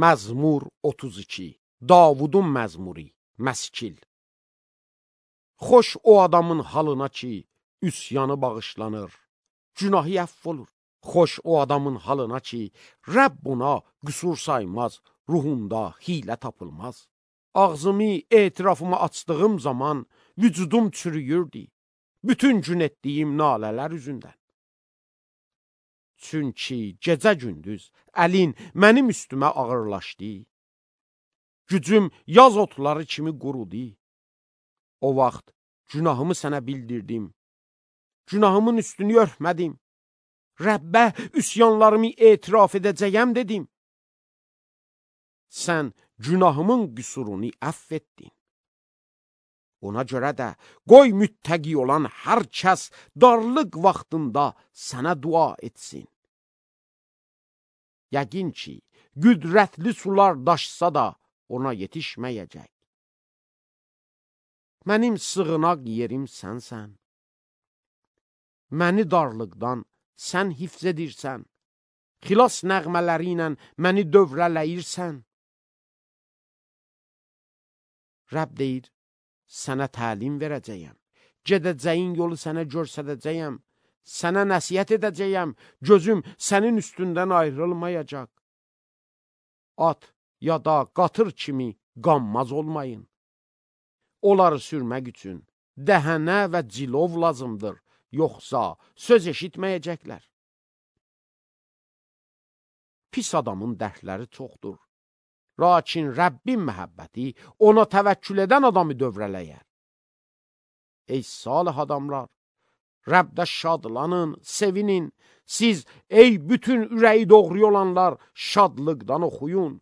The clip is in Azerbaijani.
Məzmur 32. Davudun məzmuri, məskil. Xoş o adamın halına ki, üsyanı bağışlanır, günahı əff olur. Xoş o adamın halına ki, Rəbb ona qüsur saymaz, ruhunda hilə tapılmaz. Ağzımı, etirafımı açdığım zaman vücudum çürüyürdü, bütün gün etdiyim nalələr üzündən. Çünki gecə-gündüz əlin mənim üstümə ağırlaşdı, gücüm yaz otları kimi qurudu. O vaxt günahımı sənə bildirdim, günahımın üstünü örtmədim. Rəbbə üsyanlarımı etiraf edəcəyəm dedim. Sən günahımın qüsurunu əff etdin. Ona görə də qoy müttəqi olan hər kəs darlıq vaxtında sənə dua etsin. Yəqin ki, qüdrətli sular daşsa da ona yetişməyəcək. Mənim sığınaq yerim sənsən. Məni darlıqdan sən hifz edirsən. Xilas nəğmələri ilə məni dövrələyirsən. Rəbb deyir, sənə təlim verəcəyəm. Gedəcəyin yolu sənə göstərəcəyəm. Sənə nəsihət edəcəyəm. Gözüm sənin üstündən ayrılmayacaq. At ya da qatır kimi qanmaz olmayın. Onları sürmək üçün dəhənə və cilov lazımdır. Yoxsa söz eşitməyəcəklər. Pis adamın dərdləri çoxdur. Lakin Rəbbin məhəbbəti ona təvəkkül edən adamı dövrələyər. Ey salih adamlar, Rəbdə şadlanın, sevinin. Siz, ey bütün ürəyi doğru olanlar, şadlıqdan oxuyun.